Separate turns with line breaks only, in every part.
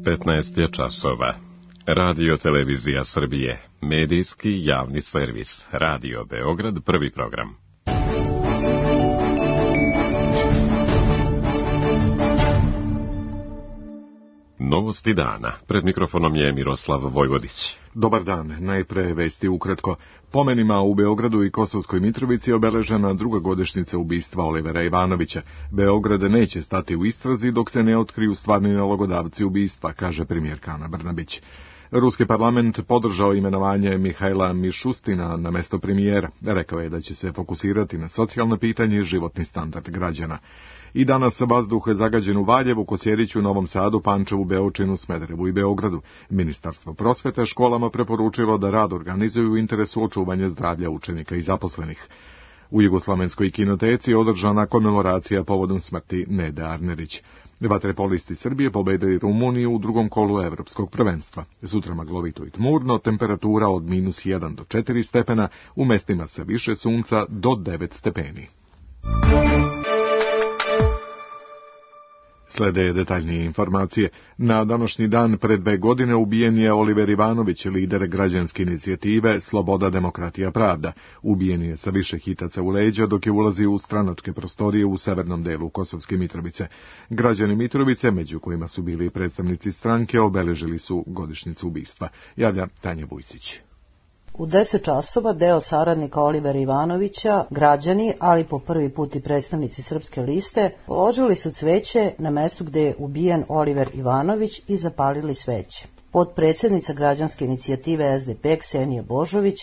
15 je časova. Radio Televizija Srbije, medijski javni servis, Radio Beograd, prvi program. Novosti dana. Pred mikrofonom je Miroslav Vojvodić.
Dobar dan. Najpre vesti ukratko. Pomenima u Beogradu i Kosovskoj Mitrovici obeležena druga godišnjica ubistva Olivera Ivanovića. Beograd neće stati u istrazi dok se ne otkriju stvarni nalogodavci ubistva, kaže premijerka Ana Brnabić. Ruski parlament podržao imenovanje Mihajla Mišustina na mesto premijera. Rekao je da će se fokusirati na socijalna pitanja i životni standard građana. I danas vazduh je zagađen u Valjevu, Kosjeriću, Novom Sadu, Pančevu, Beočinu, Smederevu i Beogradu. Ministarstvo prosvete školama preporučilo da rad organizuju u interesu očuvanja zdravlja učenika i zaposlenih. U Jugoslovenskoj kinoteci je održana komemoracija povodom smrti Nede Arnerić. Vaterpolisti Srbije pobedili Rumuniju u drugom kolu evropskog prvenstva. Sutra maglovito i tmurno, temperatura od -1 do 4 stepena, u mestima sa više sunca do 9 stepeni. Slede detaljnije informacije. Na današnji dan pred 2 godine ubijen je Oliver Ivanović, lider građanske inicijative Sloboda, demokratija, pravda. Ubijen je sa više hitaca u leđa dok je ulazio u stranačke prostorije u severnom delu Kosovske Mitrovice. Građani Mitrovice, među kojima su bili predstavnici stranke, obeležili su godišnjicu ubistva. Javlja Tanja Vujsić.
U 10 časova deo saradnika Olivera Ivanovića, građani, ali po prvi put i predstavnici Srpske liste, položili su cveće na mestu gde je ubijen Oliver Ivanović i zapalili sveće. Potpredsednica građanske inicijative SDP Ksenija Božović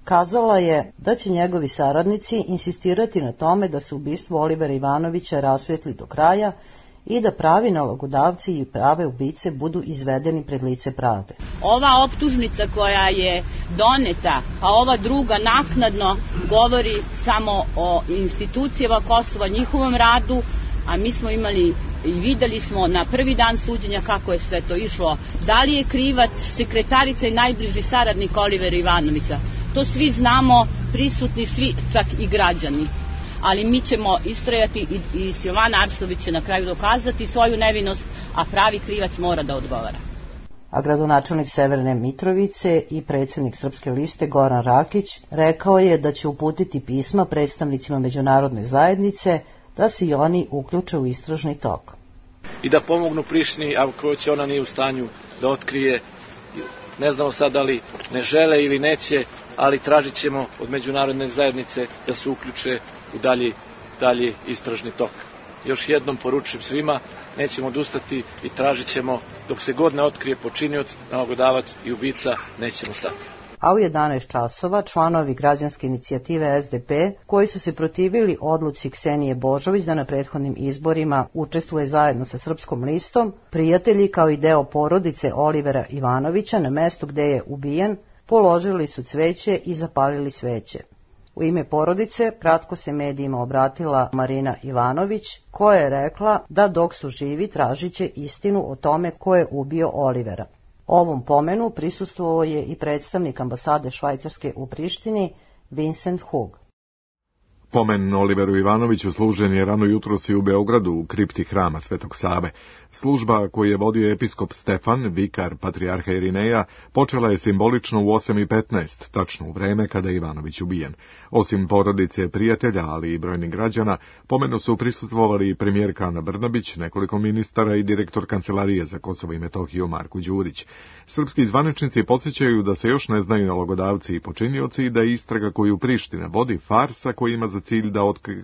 kazala je da će njegovi saradnici insistirati na tome da se ubistvo Olivera Ivanovića rasvetli do kraja i da pravi nalogodavci i prave ubice budu izvedeni pred lice pravde.
Ova optužnica koja je doneta, a ova druga naknadno govori samo o institucijama Kosova, njihovom radu, a mi smo imali i videli smo na prvi dan suđenja kako je sve to išlo. Da li je krivac sekretarica i najbliži saradnik Olivera Ivanovića? To svi znamo, prisutni svi, čak i građani. Ali mi ćemo istrajati i Silvana Arštović će na kraju dokazati svoju nevinost, a pravi krivac mora da odgovara.
A gradonačelnik Severne Mitrovice i predsjednik Srpske liste Goran Rakić rekao je da će uputiti pisma predstavnicima međunarodne zajednice da se i oni uključe u istražni tok.
I da pomognu Prištini, ako će ona nije u stanju da otkrije, ne znamo sad da li ne žele ili neće, ali tražit ćemo od međunarodne zajednice da se uključe u dalji istražni tok. Još jednom poručujem svima, nećemo odustati i tražit ćemo, dok se god ne otkrije počinioc, nalogodavac i ubica, nećemo stati.
A u 11 časova članovi građanske inicijative SDP, koji su se protivili odluci Ksenije Božović da na prethodnim izborima učestvuje zajedno sa Srpskom listom, prijatelji kao i deo porodice Olivera Ivanovića na mestu gde je ubijen, položili su cveće i zapalili sveće. U ime porodice kratko se medijima obratila Marina Ivanović, koja je rekla da dok su živi tražit će istinu o tome ko je ubio Olivera. Ovom pomenu prisustvovao je i predstavnik ambasade Švajcarske u Prištini, Vincent Hug.
Pomen Oliveru Ivanoviću služen je rano jutros i u Beogradu u kripti hrama Svetog Save. Služba koju je vodio episkop Stefan, vikar patrijarha Irineja, počela je simbolično u 8:15, tačno u vreme kada je Ivanović ubijen. Osim porodice prijatelja, ali i brojnih građana, pomenu su prisustvovali i premijerka Ana Brnabić, nekoliko ministara i direktor Kancelarije za Kosovo i Metohiju Marko Đurić. Srpski zvaničnici podsjećaju da se još ne znaju nalogodavci i počinioci i da je istraga koju Priština vodi farsa koji ima za cilj da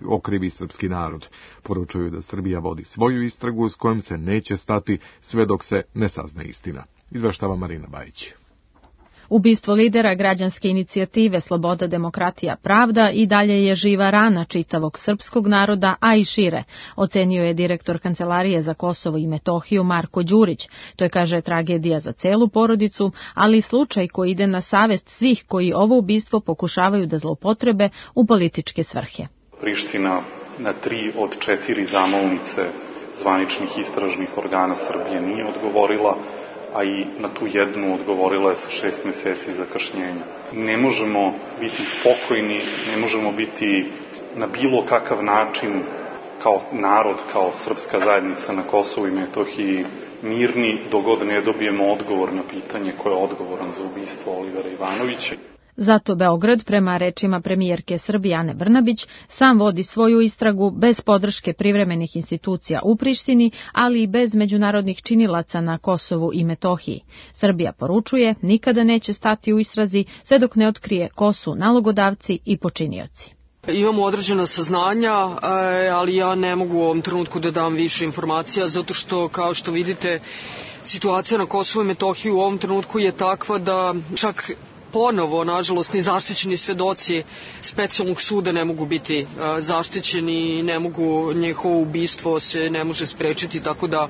okrivi srpski narod. Poručuju da Srbija vodi svoju istragu s kojom se neće stati sve dok se ne sazna istina. Izveštava Marina Bajić.
Ubistvo lidera građanske inicijative Sloboda, demokratija, pravda i dalje je živa rana čitavog srpskog naroda, a i šire, ocenio je direktor Kancelarije za Kosovo i Metohiju Marko Đurić. To je, kaže, tragedija za celu porodicu, ali i slučaj koji ide na savest svih koji ovo ubistvo pokušavaju da zloupotrebe u političke svrhe.
Priština na 3 od 4 zamolnice zvaničnih istražnih organa Srbije nije odgovorila, a i na tu jednu odgovorila je sa 6 meseci zakašnjenja. Ne možemo biti spokojni, ne možemo biti na bilo kakav način kao narod, kao srpska zajednica na Kosovu i Metohiji mirni dok god ne dobijemo odgovor na pitanje ko je odgovoran za ubistvo Olivera Ivanovića.
Zato Beograd, prema rečima premijerke Srbije Ane Brnabić, sam vodi svoju istragu bez podrške privremenih institucija u Prištini, ali i bez međunarodnih činilaca na Kosovu i Metohiji. Srbija poručuje, nikada neće stati u istrazi sve dok ne otkrije ko su nalogodavci i počinioci.
Imamo određena saznanja, ali ja ne mogu u ovom trenutku da dam više informacija, zato što, kao što vidite, situacija na Kosovu i Metohiji u ovom trenutku je takva da čak ponovo, nažalost, ni zaštićeni svedoci specijalnog suda ne mogu biti zaštićeni, ne mogu, njihovo ubistvo se ne može sprečiti, tako da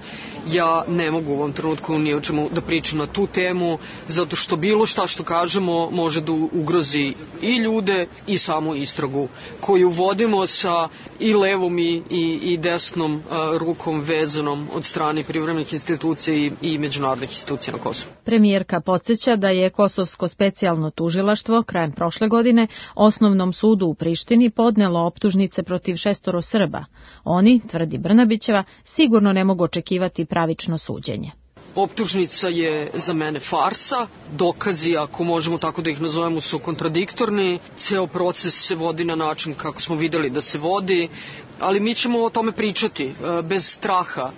ja ne mogu u ovom trenutku ni o čemu da pričam na tu temu, zato što bilo šta što kažemo može da ugrozi i ljude i samu istragu koju vodimo sa i levom i desnom rukom vezanom od strane privremenih institucija i međunarodnih institucija na Kosovu.
Premijerka podsjeća da je Kosovsko specijalno tužilaštvo krajem prošle godine Osnovnom sudu u Prištini podnelo optužnice protiv 6 Srba. Oni, tvrdi Brnabićeva, sigurno ne mogu očekivati pravično suđenje.
Optužnica je za mene farsa, dokazi, ako možemo tako da ih nazovemo, su kontradiktorni, ceo proces se vodi na način kako smo videli da se vodi, ali mi ćemo o tome pričati bez straha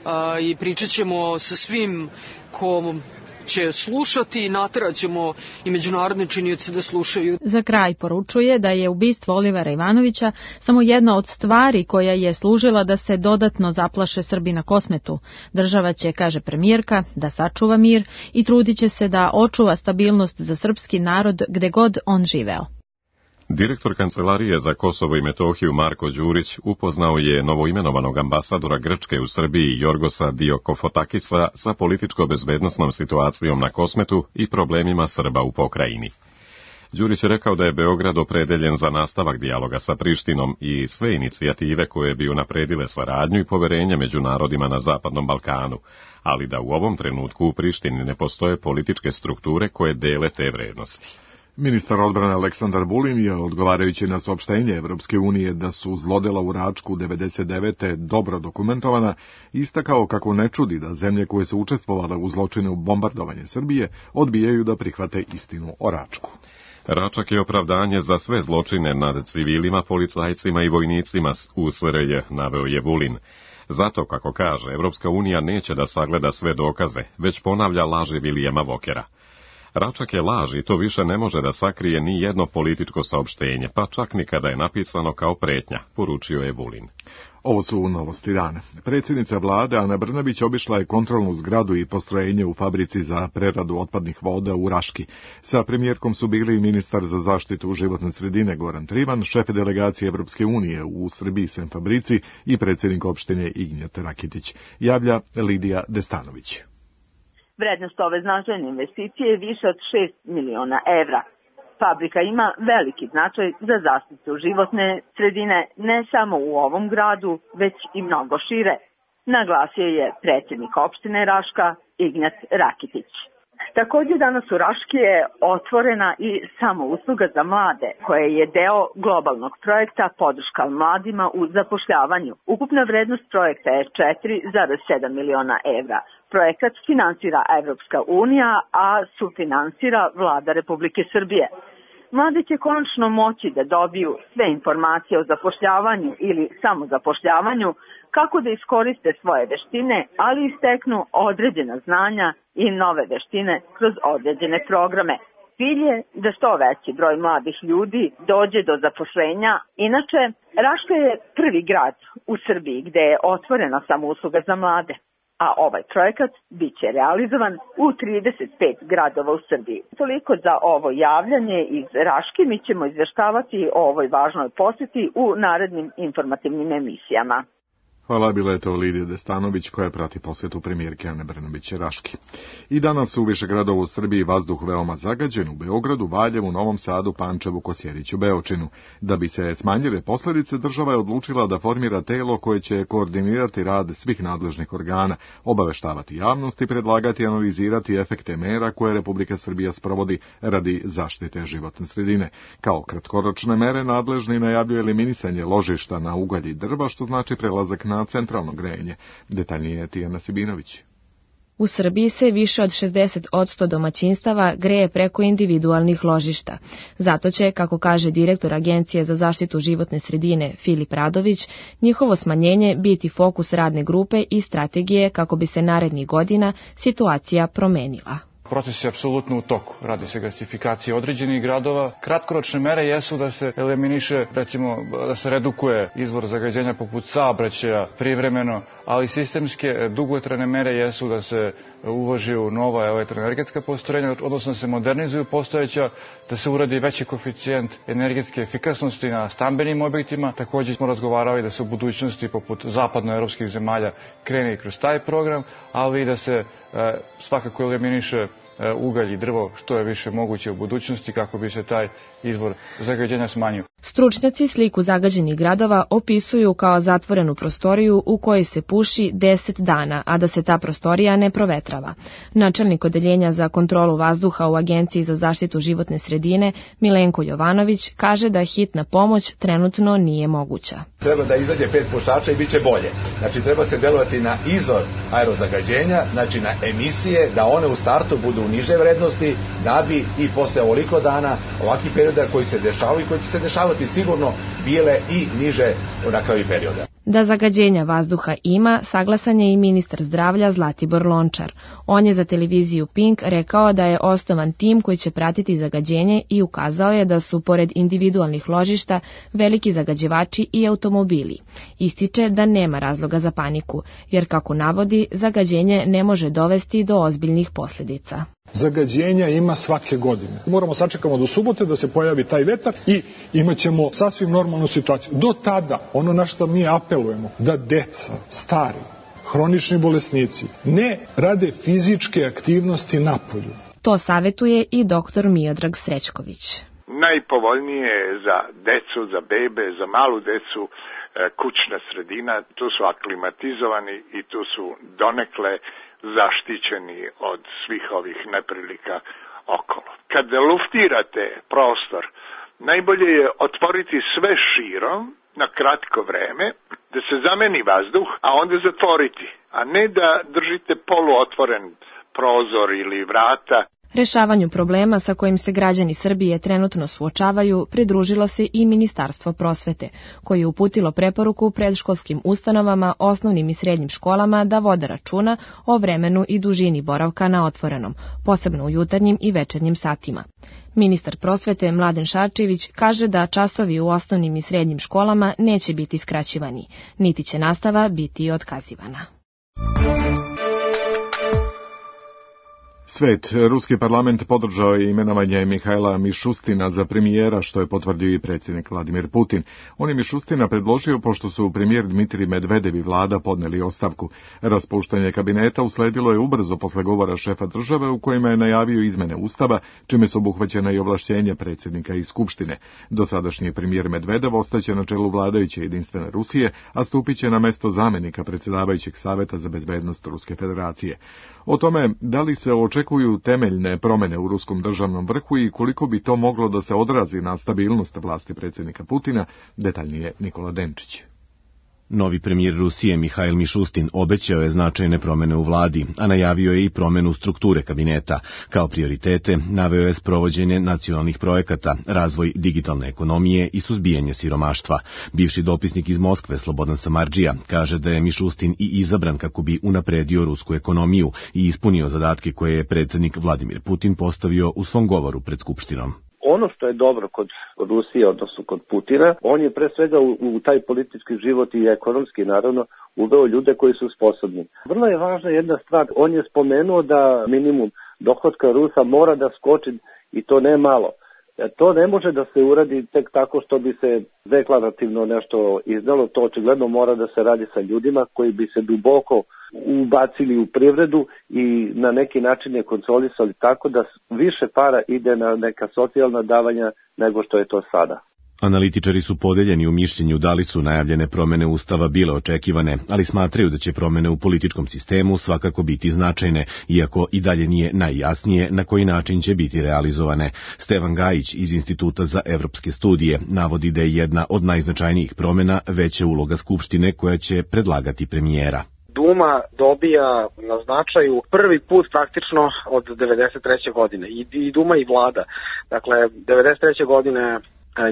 i pričat ćemo sa svim ko će slušati i nateraćemo i međunarodne činioce da slušaju.
Za kraj poručuje da je ubistvo Olivera Ivanovića samo jedna od stvari koja je služila da se dodatno zaplaše Srbi na Kosmetu. Država će, kaže premijerka, da sačuva mir i trudit će se da očuva stabilnost za srpski narod gde god on živeo.
Direktor Kancelarije za Kosovo i Metohiju Marko Đurić upoznao je novoimenovanog ambasadora Grčke u Srbiji Jorgosa Diokofotakisa sa političko-bezbednosnom situacijom na Kosmetu i problemima Srba u pokrajini. Đurić je rekao da je Beograd opredeljen za nastavak dijaloga sa Prištinom i sve inicijative koje bi unapredile saradnju i poverenje među narodima na Zapadnom Balkanu, ali da u ovom trenutku u Prištini ne postoje političke strukture koje dele te vrednosti.
Ministar odbrane Aleksandar Vulin je, odgovarajući na saopštenje Evropske unije da su zlodela u Račku 99. dobro dokumentovana, istakao kako ne čudi da zemlje koje su učestvovale u zločine u bombardovanje Srbije odbijaju da prihvate istinu o Račku.
Račak je opravdanje za sve zločine nad civilima, policajcima i vojnicima u SRJ, naveo je Vulin. Zato, kako kaže, Evropska unija neće da sagleda sve dokaze, već ponavlja laži Vilijama Vokera. Račak je laž i to više ne može da sakrije ni jedno političko saopštenje, pa čak ni kada je napisano kao pretnja, poručio je Vulin.
Ovo su novosti dana. Predsjednica vlade Ana Brnabić obišla je kontrolnu zgradu i postrojenje u fabrici za preradu otpadnih voda u Raški. Sa premijerkom su bili ministar za zaštitu životne sredine Goran Trivan, šef delegacije Evropske unije u Srbiji Sem Fabrici i predsjednik opštine Ignjat Rakitić. Javlja Lidija Destanović.
Vrednost ove značajne investicije je više od 6 miliona evra. Fabrika ima veliki značaj za zaštitu životne sredine ne samo u ovom gradu, već i mnogo šire, naglasio je predsjednik opštine Raška Ignjat Rakitić. Također danas u Raški je otvorena i samousluga za mlade, koja je deo globalnog projekta Podrška mladima u zapošljavanju. Ukupna vrednost projekta je 4,7 miliona evra. Projekat finansira Evropska unija, a sufinansira Vlada Republike Srbije. Mladi će konačno moći da dobiju sve informacije o zapošljavanju ili samozapošljavanju, kako da iskoriste svoje veštine, ali i steknu određena znanja i nove veštine kroz određene programe. Cilj je da što veći broj mladih ljudi dođe do zaposlenja. Inače, Raška je prvi grad u Srbiji gde je otvorena samousluga za mlade, a ovaj projekat bit će realizovan u 35 gradova u Srbiji. Toliko za ovo javljanje iz Raške, mi ćemo izveštavati o ovoj važnoj posjeti u narednim informativnim emisijama.
Hvala, bila je to Lidija Destanović koja prati posjetu premijerke Ane Brnabić-Raški. I danas u više gradova u Srbiji vazduh veoma zagađen, u Beogradu, Valjevu, Novom Sadu, Pančevu, Kosjeriću, Beočinu. Da bi se smanjile posljedice, država je odlučila da formira telo koje će koordinirati rad svih nadležnih organa, obaveštavati javnost i predlagati i analizirati efekte mera koje Republika Srbija sprovodi radi zaštite životne sredine. Kao kratkoročne mere nadležni najavljuje eliminisanje ložišta na ugalj i drva, što znači prelazak na centralno grejanje. Detaljnije Tijana Sibinović.
U Srbiji se više od 60% domaćinstava greje preko individualnih ložišta. Zato će, kako kaže direktor Agencije za zaštitu životne sredine Filip Radović, njihovo smanjenje biti fokus radne grupe i strategije kako bi se narednih godina situacija promenila.
Proces je apsolutno u toku. Radi se gasifikacija određenih gradova. Kratkoročne mere jesu da se eliminiše, recimo, da se redukuje izvor zagađenja poput saobraćaja privremeno, ali sistemske dugotrajne mere jesu da se uloži u nova elektroenergetska postrojenja, odnosno da se modernizuju postojeća, da se uradi veći koeficijent energetske efikasnosti na stambenim objektima. Također smo razgovarali da se u budućnosti poput zapadnoevropskih zemalja krene i kroz taj program, ali i da se svakako eliminiše ugalj i drvo što je više moguće u budućnosti kako bi se taj izvor zagađenja smanjio.
Stručnjaci sliku zagađenih gradova opisuju kao zatvorenu prostoriju u kojoj se puši 10 dana, a da se ta prostorija ne provetrava. Načelnik odeljenja za kontrolu vazduha u Agenciji za zaštitu životne sredine Milenko Jovanović kaže da hitna pomoć trenutno nije moguća.
Treba da izađe 5 pušača i bit će bolje. Znači treba se delovati na izvor aerozagađenja, znači na emisije, da one u startu budu u niže vrednosti, da bi i posle ovoliko dana ovakvih perioda koji se dešavaju i koji će se dešavati sigurno bile i niže na kraju perioda.
Da zagađenja vazduha ima, saglasan je i ministar zdravlja Zlatibor Lončar. On je za televiziju Pink rekao da je osnovan tim koji će pratiti zagađenje i ukazao je da su, pored individualnih ložišta, veliki zagađivači i automobili. Ističe da nema razloga za paniku, jer, kako navodi, zagađenje ne može dovesti do ozbiljnih posljedica.
Zagađenja ima svake godine. Moramo sačekamo do subote da se pojavi taj vetar i imat ćemo sasvim normalnu situaciju. Do tada, ono na što mi apelujemo, da deca, stari, hronični bolesnici ne rade fizičke aktivnosti napolju.
To savjetuje i doktor Miodrag Srećković.
Najpovoljnije je za decu, za bebe, za malu decu kućna sredina. Tu su aklimatizovani i tu su donekle zaštićeni od svih ovih neprilika okolo. Kad luftirate prostor, najbolje je otvoriti sve širom na kratko vreme, da se zameni vazduh, a onda zatvoriti, a ne da držite poluotvoren prozor ili vrata.
Rešavanju problema sa kojim se građani Srbije trenutno suočavaju pridružilo se i Ministarstvo prosvete, koje je uputilo preporuku predškolskim ustanovama, osnovnim i srednjim školama da vode računa o vremenu i dužini boravka na otvorenom, posebno u jutarnjim i večernjim satima. Ministar prosvete Mladen Šarčević kaže da časovi u osnovnim i srednjim školama neće biti skraćivani, niti će nastava biti otkazivana.
Svet. Ruski parlament podržao je imenovanje Mihajla Mišustina za premijera, što je potvrdio i predsjednik Vladimir Putin. On je Mišustina predložio pošto su premijer Dmitrij Medvedev i vlada podneli ostavku. Raspuštanje kabineta usledilo je ubrzo posle govora šefa države u kojima je najavio izmene ustava, čime su obuhvaćena i ovlašćenja predsjednika i skupštine. Dosadašnji premijer Medvedev ostaće na čelu vladajuće Jedinstvene Rusije, a stupit će na mesto zamjenika predsjedavajućeg Saveta za bezbednost Ruske federacije. O tome da li se očekuju temeljne promjene u ruskom državnom vrhu i koliko bi to moglo da se odrazi na stabilnost vlasti predsjednika Putina, detaljnije Nikola Denčić.
Novi premijer Rusije Mihajl Mišustin obećao je značajne promjene u vladi, a najavio je i promjenu strukture kabineta. Kao prioritete naveo je sprovođenje nacionalnih projekata, razvoj digitalne ekonomije i suzbijanje siromaštva. Bivši dopisnik iz Moskve Slobodan Samardžija kaže da je Mišustin i izabran kako bi unapredio rusku ekonomiju i ispunio zadatke koje je predsjednik Vladimir Putin postavio u svom govoru pred Skupštinom.
Ono što je dobro kod Rusije, odnosno kod Putina, on je pre svega u taj politički život i ekonomski, naravno, uveo ljude koji su sposobni. Vrlo je važna jedna stvar, on je spomenuo da minimum dohotka Rusa mora da skoči, i to ne malo, To ne može da se uradi tek tako što bi se deklarativno nešto izdalo, to očigledno mora da se radi sa ljudima koji bi se duboko ubacili u privredu i na neki način je kontrolisali tako da više para ide na neka socijalna davanja nego što je to sada.
Analitičari su podeljeni u mišljenju da li su najavljene promene Ustava bile očekivane, ali smatraju da će promene u političkom sistemu svakako biti značajne, iako i dalje nije najjasnije na koji način će biti realizovane. Stevan Gajić iz Instituta za evropske studije navodi da je jedna od najznačajnijih promena veća uloga Skupštine koja će predlagati premijera.
Duma dobija na značaju prvi put praktično od 1993. godine i Duma i vlada. Dakle, 1993. godine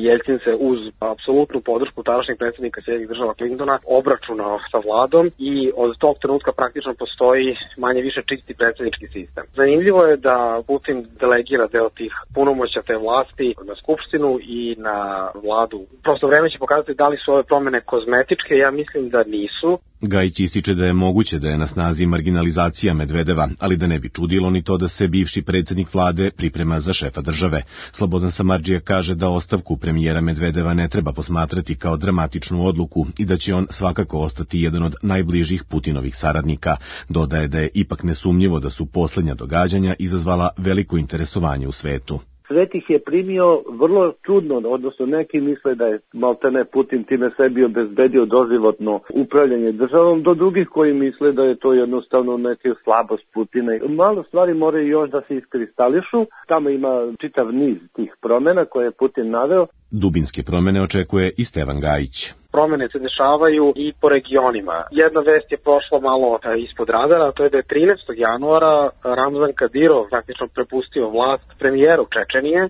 Jeljcin se uz apsolutnu podršku tadašnjeg predsjednika Sjedinjenih Država Clintona obračunao sa vladom i od tog trenutka praktično postoji manje više čisti predsjednički sistem. Zanimljivo je da Putin delegira deo tih punomoćja te vlasti na skupštinu i na vladu. Prosto vreme će pokazati da li su ove promene kozmetičke, ja mislim da nisu.
Gajić ističe da je moguće da je na snazi marginalizacija Medvedeva, ali da ne bi čudilo ni to da se bivši predsjednik vlade priprema za šefa države. Slobodan Samardžija kaže da ostavku premijera Medvedeva ne treba posmatrati kao dramatičnu odluku i da će on svakako ostati jedan od najbližih Putinovih saradnika. Dodaje da je ipak nesumnjivo da su posljednja događanja izazvala veliko interesovanje u svetu.
Svet ih je primio vrlo čudno, odnosno neki misle da je maltene Putin time sebi obezbedio doživotno upravljanje državom, do drugih koji misle da je to jednostavno neka slabost Putina. Malo stvari moraju još da se iskristališu, tamo ima čitav niz tih promjena koje je Putin naveo.
Dubinske promjene očekuje i Stevan Gajić.
Promjene se dešavaju i po regionima. Jedna vest je prošla malo ispod radara, to je da je 13. januara Ramzan Kadirov praktično prepustio vlast premijeru Čečenije.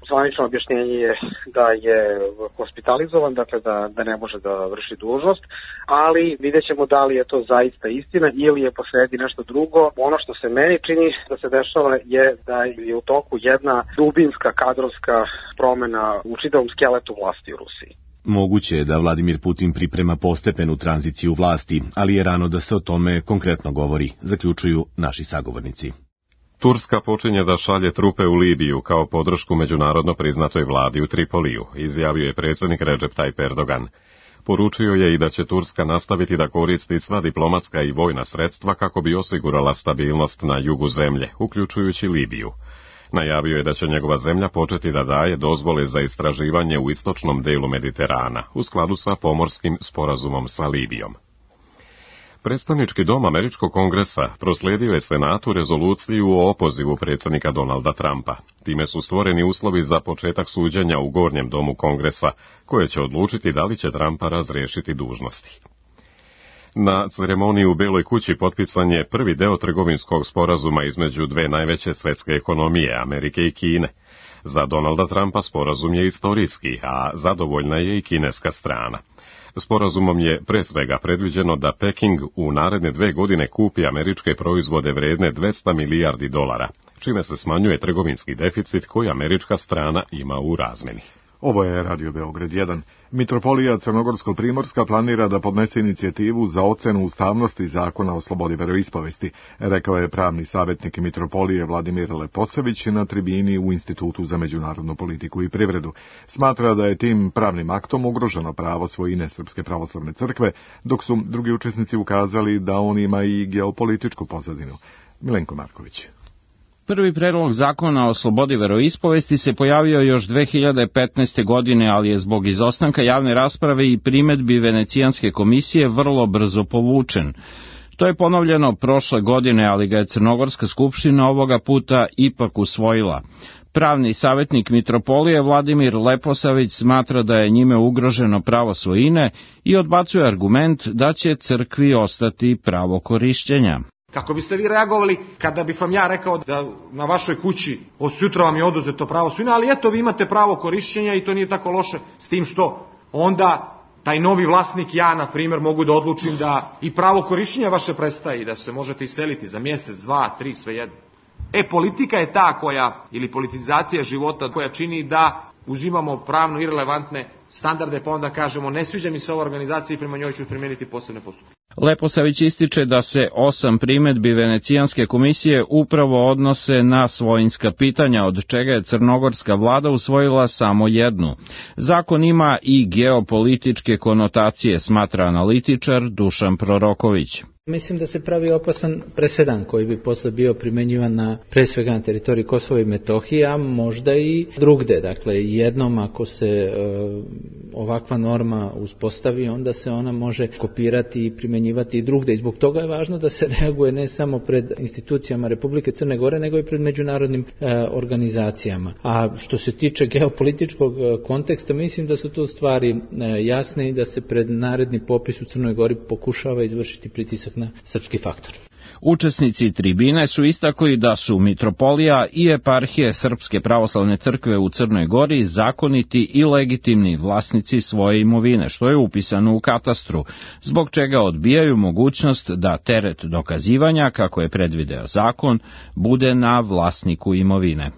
Zvanično objašnjenje je da je hospitalizovan, dakle da ne može da vrši dužnost, ali vidjet ćemo da li je to zaista istina ili je posredi nešto drugo. Ono što se meni čini da se dešava je da je u toku jedna dubinska kadrovska promjena u čitavom skeletu vlasti u Rusiji.
Moguće je da Vladimir Putin priprema postepenu tranziciju vlasti, ali je rano da se o tome konkretno govori, zaključuju naši sagovornici.
Turska počinje da šalje trupe u Libiju kao podršku međunarodno priznatoj vladi u Tripoliju, izjavio je predsjednik Recep Tayyip Erdogan. Poručio je i da će Turska nastaviti da koristi sva diplomatska i vojna sredstva kako bi osigurala stabilnost na jugu zemlje, uključujući Libiju. Najavio je da će njegova zemlja početi da daje dozvole za istraživanje u istočnom delu Mediterana, u skladu sa pomorskim sporazumom sa Libijom. Predstavnički dom Američkog kongresa proslijedio je Senatu rezoluciju o opozivu predsjednika Donalda Trumpa. Time su stvoreni uslovi za početak suđenja u Gornjem domu Kongresa, koje će odlučiti da li će Trumpa razriješiti dužnosti. Na ceremoniji u Beloj kući potpisan je prvi deo trgovinskog sporazuma između dve najveće svetske ekonomije, Amerike i Kine. Za Donalda Trumpa sporazum je istorijski, a zadovoljna je i kineska strana. Sporazumom je pre svega predviđeno da Peking u naredne 2 godine kupi američke proizvode vredne $200 milijardi, čime se smanjuje trgovinski deficit koji američka strana ima u razmeni.
Ovo je Radio Beograd 1. Mitropolija Crnogorsko-Primorska planira da podnese inicijativu za ocenu ustavnosti zakona o slobodi veroispovesti, rekao je pravni savjetnik Mitropolije Vladimir Leposević na tribini u Institutu za međunarodnu politiku i privredu. Smatra da je tim pravnim aktom ugroženo pravo svojine Srpske pravoslavne crkve, dok su drugi učesnici ukazali da on ima i geopolitičku pozadinu. Milenko Marković.
Prvi predlog zakona o slobodi veroispovesti se pojavio još 2015. godine, ali je zbog izostanka javne rasprave i primedbi Venecijanske komisije vrlo brzo povučen. To je ponovljeno prošle godine, ali ga je Crnogorska skupština ovoga puta ipak usvojila. Pravni savjetnik Mitropolije Vladimir Leposavić smatra da je njime ugroženo pravo svojine i odbacuje argument da će crkvi ostati pravo korišćenja.
Kako biste vi reagovali kada bih vam ja rekao da na vašoj kući od sutra vam je oduzeto pravo svojine, ali eto vi imate pravo korišćenja i to nije tako loše, s tim što onda taj novi vlasnik, ja na primjer, mogu da odlučim da i pravo korišćenja vaše prestaje i da se možete iseliti za mjesec, 2, 3, svejedno. Politika je ta koja, ili politizacija života koja čini da uzimamo pravno irelevantne standarde pa onda kažemo ne sviđa mi se ova organizacija i prema njoj ću primijeniti posebne postupke.
Leposavić ističe da se 8 primedbi Venecijanske komisije upravo odnose na svojinska pitanja, od čega je crnogorska vlada usvojila samo jednu. Zakon ima i geopolitičke konotacije, smatra analitičar Dušan Proroković.
Mislim da se pravi opasan presedan koji bi posle bio primenjivan na, pre svega na teritoriji Kosova i Metohije, a možda i drugde. Dakle, jednom ako se ovakva norma uspostavi, onda se ona može kopirati i primenjivati i drugde. I zbog toga je važno da se reaguje ne samo pred institucijama Republike Crne Gore, nego i pred međunarodnim organizacijama. A što se tiče geopolitičkog konteksta, mislim da su tu stvari jasne i da se pred naredni popis u Crnoj Gori pokušava izvršiti pritisak na srpski faktor.
Učesnici tribine su istakli da su mitropolija i eparhije Srpske pravoslavne crkve u Crnoj Gori zakoniti i legitimni vlasnici svoje imovine, što je upisano u katastru, zbog čega odbijaju mogućnost da teret dokazivanja, kako je predvideo zakon, bude na vlasniku imovine.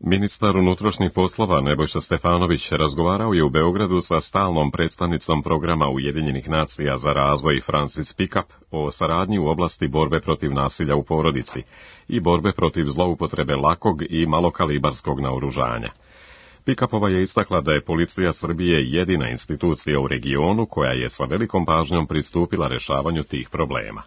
Ministar unutrašnjih poslova Nebojša Stefanović razgovarao je u Beogradu sa stalnom predstavnicom programa Ujedinjenih nacija za razvoj Francis Pickup o saradnji u oblasti borbe protiv nasilja u porodici i borbe protiv zloupotrebe lakog i malokalibarskog naoružanja. Pickupova je istakla da je Policija Srbije jedina institucija u regionu koja je sa velikom pažnjom pristupila rešavanju tih problema.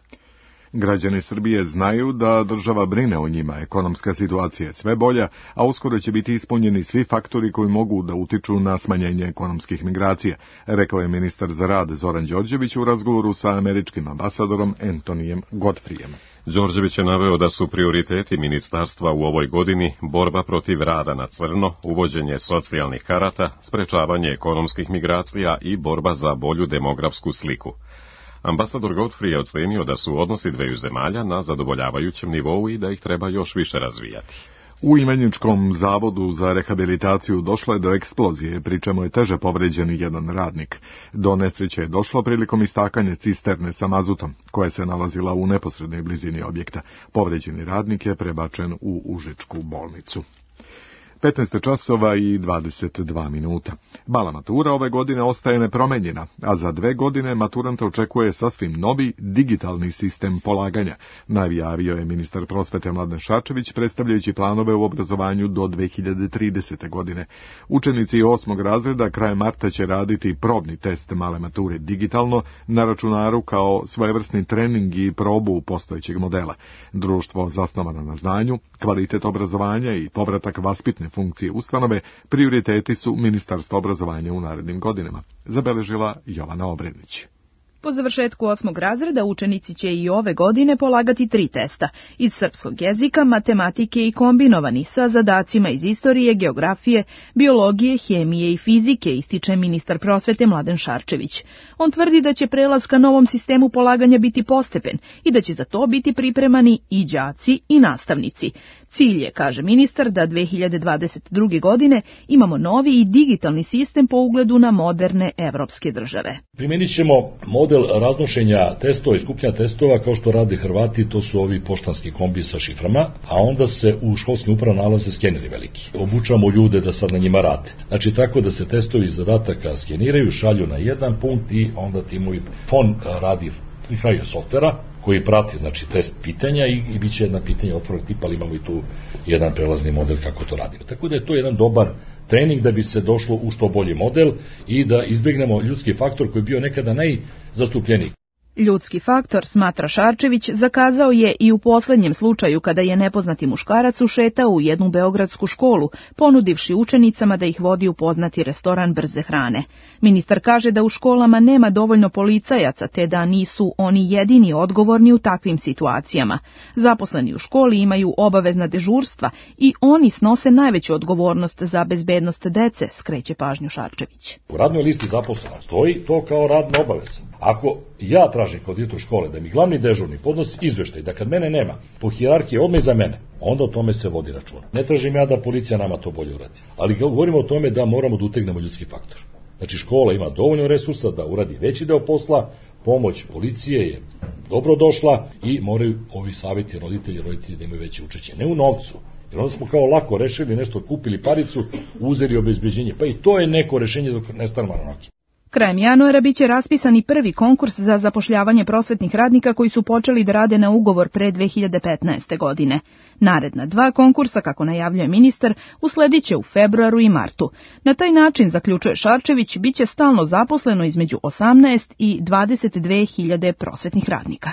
Građani Srbije znaju da država brine o njima, ekonomska situacija je sve bolja, a uskoro će biti ispunjeni svi faktori koji mogu da utiču na smanjenje ekonomskih migracija, rekao je ministar za rad Zoran Đorđević u razgovoru sa američkim ambasadorom Antonijem Godfrijem.
Đorđević je naveo da su prioriteti ministarstva u ovoj godini borba protiv rada na crno, uvođenje socijalnih karata, sprečavanje ekonomskih migracija i borba za bolju demografsku sliku. Ambasador Godfrey je ocenio da su odnosi dveju zemalja na zadovoljavajućem nivou i da ih treba još više razvijati.
U Ivanjičkom zavodu za rehabilitaciju došlo je do eksplozije, pri čemu je teže povređen jedan radnik. Do nesreće je došlo prilikom istakanja cisterne sa mazutom, koja se nalazila u neposrednoj blizini objekta. Povređeni radnik je prebačen u Užičku bolnicu. 15 časova i 22 minuta. Mala matura ove godine ostaje nepromenjena, a za 2 godine maturante očekuje sasvim novi digitalni sistem polaganja, najavio je ministar prosvete Mladen Šarčević, predstavljajući planove u obrazovanju do 2030. godine. Učenici 8. razreda krajem marta će raditi probni test male mature digitalno na računaru kao svojevrsni trening i probu postojećeg modela. Društvo zasnovano na znanju, kvalitet obrazovanja i povratak vaspitne funkcije ustanove prioriteti su Ministarstva obrazovanja u narednim godinama, zabeležila Jovana Obrenić.
Po završetku 8. razreda učenici će i ove godine polagati 3 testa iz srpskog jezika, matematike i kombinovani sa zadacima iz istorije, geografije, biologije, hemije i fizike, ističe ministar prosvete Mladen Šarčević. On tvrdi da će prelaz ka novom sistemu polaganja biti postepen i da će za to biti pripremani i đaci i nastavnici. Cilj je, kaže ministar, da 2022. godine imamo novi i digitalni sistem po ugledu na moderne evropske države.
Primenit ćemo model raznošenja testova i skupljanja testova kao što rade Hrvati, to su ovi poštanski kombi sa šiframa, a onda se u školskim upravama nalaze skeneri veliki. Obučamo ljude da sad na njima rade. Znači tako da se testovi zadataka skeniraju, šalju na jedan punkt i onda timovi fon radi prihajaju softvera koji prati, znači, test pitanja i bit će jedna pitanja otvorog tipa, ali imamo i tu jedan prelazni model kako to radimo. Tako da je to jedan dobar trening da bi se došlo u što bolji model i da izbegnemo ljudski faktor koji je bio nekada najzastupljeniji.
Ljudski faktor, smatra Šarčević, zakazao je i u poslednjem slučaju kada je nepoznati muškarac ušetao u jednu beogradsku školu, ponudivši učenicama da ih vodi u poznati restoran brze hrane. Ministar kaže da u školama nema dovoljno policajaca, te da nisu oni jedini odgovorni u takvim situacijama. Zaposleni u školi imaju obavezna dežurstva i oni snose najveću odgovornost za bezbednost dece, skreće pažnju Šarčević.
U radnoj listi zaposlena stoji to kao radna obaveza. Ako ja tražim kod direktora škole da mi glavni dežurni podnosi izveštaj da kad mene nema, po hijerarhiji odmah iza mene, onda o tome se vodi računa. Ne tražim ja da policija nama to bolje uradi, ali govorimo o tome da moramo da utegnemo ljudski faktor. Znači škola ima dovoljno resursa da uradi veći deo posla, pomoć policije je dobro došla i moraju ovi savjeti roditelji da imaju veće učešće. Ne u novcu, jer onda smo kao lako rešili nešto, kupili paricu, uzeli obezbeđenje, pa i to je neko rešenje dok ne stanemo na noge.
Krajem januara biće raspisan i prvi konkurs za zapošljavanje prosvetnih radnika koji su počeli da rade na ugovor pre 2015. godine. Naredna 2 konkursa, kako najavljuje ministar, uslediće u februaru i martu. Na taj način, zaključuje Šarčević, biće stalno zaposleno između 18 i 22.000 prosvetnih radnika.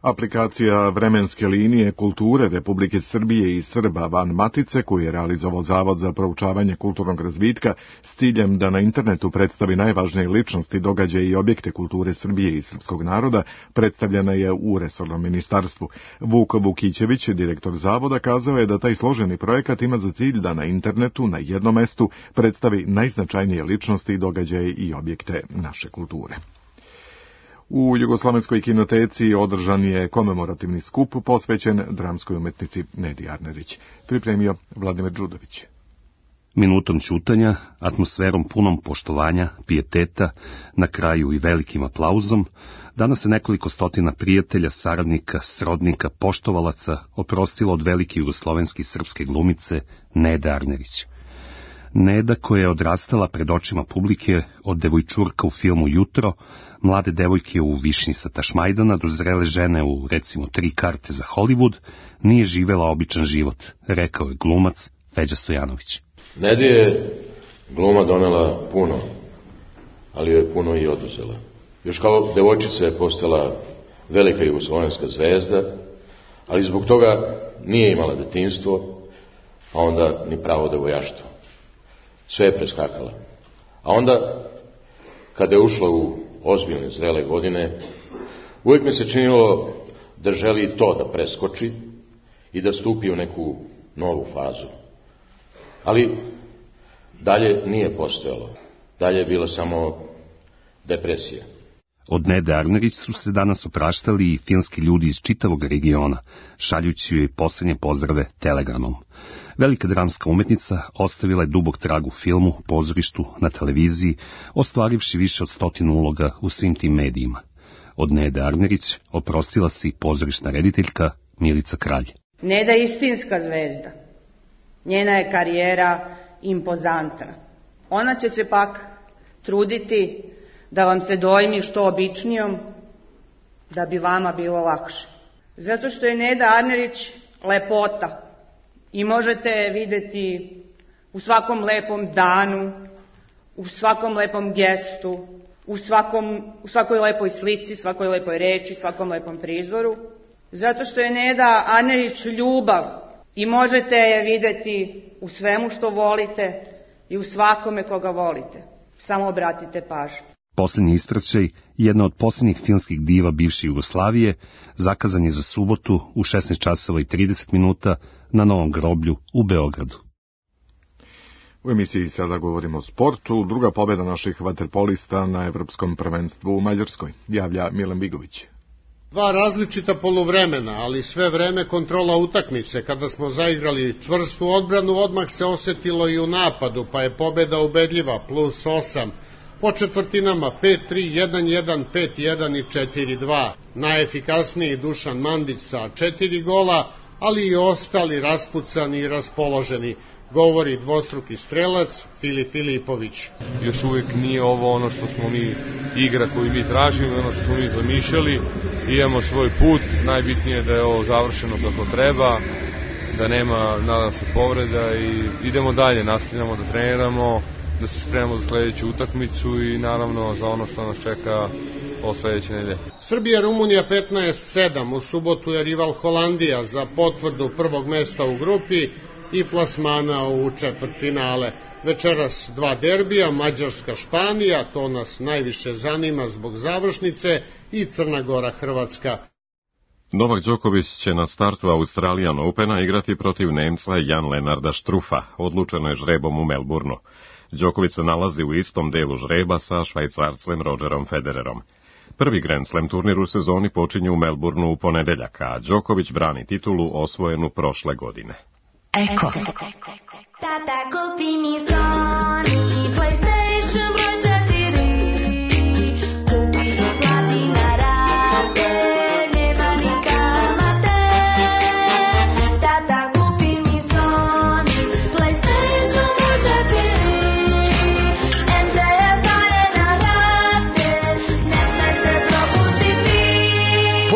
Aplikacija vremenske linije kulture Republike Srbije i Srba van matice, koju je realizovao Zavod za proučavanje kulturnog razvitka s ciljem da na internetu predstavi najvažnije ličnosti, događaje i objekte kulture Srbije i srpskog naroda, predstavljena je u resornom ministarstvu. Vuk Vukićević, direktor Zavoda, kazao je da taj složeni projekat ima za cilj da na internetu na jednom mestu predstavi najznačajnije ličnosti, događaje i objekte naše kulture. U Jugoslovenskoj kinoteci održan je komemorativni skup posvećen dramskoj umetnici Nedi Arnerić. Pripremio Vladimir Đudović.
Minutom ćutanja, atmosferom punom poštovanja, pijeteta, na kraju i velikim aplauzom, danas se nekoliko stotina prijatelja, saradnika, srodnika, poštovalaca oprostilo od velike jugoslovenske srpske glumice Nede Arnerić. Neda, koja je odrastala pred očima publike od devojčurka u filmu Jutro, mlade devojke u Višnji sa Tašmajdana do zrele žene u, recimo, 3 karte za Hollywood, nije živela običan život, rekao je glumac Feđa Stojanović.
Nedi je gluma donela puno, ali je puno i oduzela. Još kao devojčica je postala velika jugoslovenska zvezda, ali zbog toga nije imala detinjstvo, a onda ni pravo devojaštvo. Sve je preskakala. A onda, kada je ušla u ozbiljne, zrele godine, uvijek mi se činilo da želi to da preskoči i da stupi u neku novu fazu. Ali dalje nije postojalo. Dalje je bila samo depresija.
Od Nede Arnerić su se danas opraštali i filmski ljudi iz čitavog regiona, šaljući joj posljednje pozdrave telegramom. Velika dramska umetnica ostavila je dubok trag u filmu, pozorištu, na televiziji, ostvarivši više od 100 uloga u svim tim medijima. Od Nede Arnerić oprostila se i pozorišna rediteljka Milica Kralj.
Neda je istinska zvezda. Njena je karijera impozantna. Ona će se pak truditi da vam se dojmi što običnijom, da bi vama bilo lakše. Zato što je Neda Arnerić lepota i možete je videti u svakom lepom danu, u svakom lepom gestu, u svakoj lepoj slici, svakoj lepoj reči, svakom lepom prizoru. Zato što je Neda Arnerić ljubav i možete je videti u svemu što volite i u svakome koga volite. Samo obratite pažnju.
Posljednji ispraćaj, jedna od posljednjih filmskih diva bivše Jugoslavije, zakazan je za subotu u 16:30 na Novom groblju u Beogradu.
U emisiji sada govorimo o sportu. Druga pobjeda naših vaterpolista na Evropskom prvenstvu u Mađarskoj, javlja Milan Bigović.
2 različita poluvremena, ali sve vreme kontrola utakmice. Kada smo zaigrali čvrstu odbranu, odmah se osetilo i u napadu, pa je pobjeda ubedljiva, +8. Po četvrtinama 5-3, 1-1, 5-1 i 4-2. Najefikasniji Dušan Mandić sa 4 gola, ali i ostali raspucani i raspoloženi, govori dvostruki strelac Filip Filipović.
Još uvijek nije ovo ono što smo mi, igra koju mi tražimo, ono što smo mi zamišljali. Imamo svoj put, najbitnije je da je ovo završeno kako treba, da nema, nadam se, povreda i idemo dalje, nastavljamo da treniramo, da se spremamo za sljedeću utakmicu i naravno za ono što nas čeka o sljedeće nedelje.
Srbija-Rumunija 15-7, u subotu je rival Holandija za potvrdu prvog mesta u grupi i plasmana u četvrtfinale. Večeras 2 derbija, Mađarska-Španija, to nas najviše zanima zbog završnice, i Crna Gora-Hrvatska.
Novak Đoković će na startu Australian Opena igrati protiv Nemca Jan-Lenarda Struffa, odlučeno je žrebom u Melbourneu. Đoković se nalazi u istom delu žreba sa Švajcarcem Rogerom Federerom. Prvi Grand Slam turnir u sezoni počinje u Melbourneu u ponedeljak, a Đoković brani titulu osvojenu prošle godine.
Eko. Tata, kupi mi Sony PlayStation broj 4. Kupi ga, plati na rate, nema ni kamate. Tata, kupi mi Sony PlayStation broj 4. MTS daje na rate.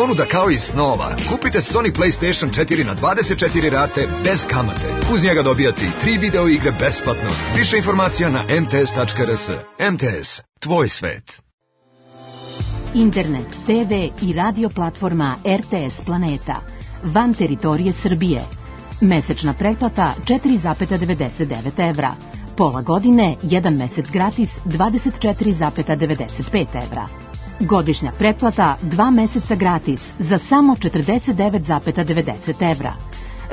ponuda kao iz snova. Kupite Sony PlayStation 4 na 24 rate bez kamate. Uz njega dobijate i 3 video igre besplatno. Više informacija na mts.rs. MTS, tvoj svet.
Internet, TV i radio platforma RTS Planeta. Van teritorije Srbije. Mesečna pretplata 4,99 evra. Pola godine, 1 mesec gratis 24,95 evra. Godišnja pretplata 2 meseca gratis za samo 49,90 evra.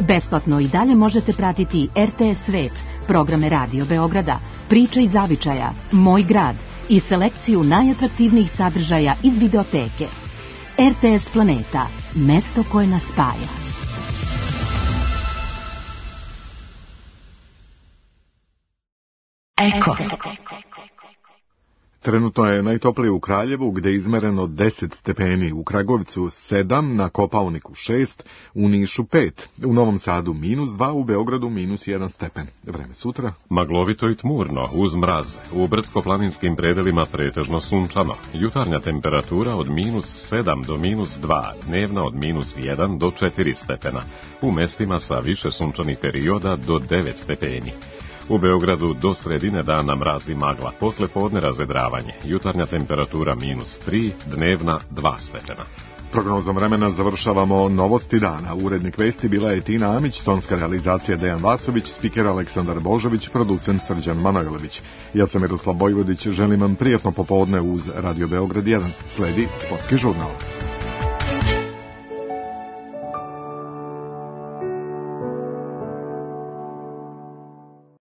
Besplatno i dalje možete pratiti RTS Svet, programe Radio Beograda, Priče i zavičaja, Moj grad i selekciju najatraktivnijih sadržaja iz videoteke. RTS Planeta, mesto koje nas spaja.
Eko.
Trenutno je najtoplije u Kraljevu, gde je izmereno 10 stepeni, u Kragovicu 7, na Kopaoniku 6, u Nišu 5, u Novom Sadu -2, u Beogradu -1 stepen. Vreme sutra?
Maglovito i tmurno, uz mraz. U brdsko-planinskim predelima pretežno sunčano. Jutarnja temperatura od -7 do -2, dnevna od -1 do 4 stepena. U mestima sa više sunčanih perioda do 9 stepeni. U Beogradu do sredine dana mraz i magla, posle podne razvedravanje. Jutarnja temperatura -3, dnevna 2 stepena.
Prognozom vremena završavamo novosti dana. Urednik vesti bila je Tina Amić, tonska realizacija Dejan Vasović, spiker Aleksandar Božović, producent Srđan Manojlović. Ja sam Miroslav Bojvodić, želim vam prijatno popodne uz Radio Beograd 1. Sledi sportski žurnal.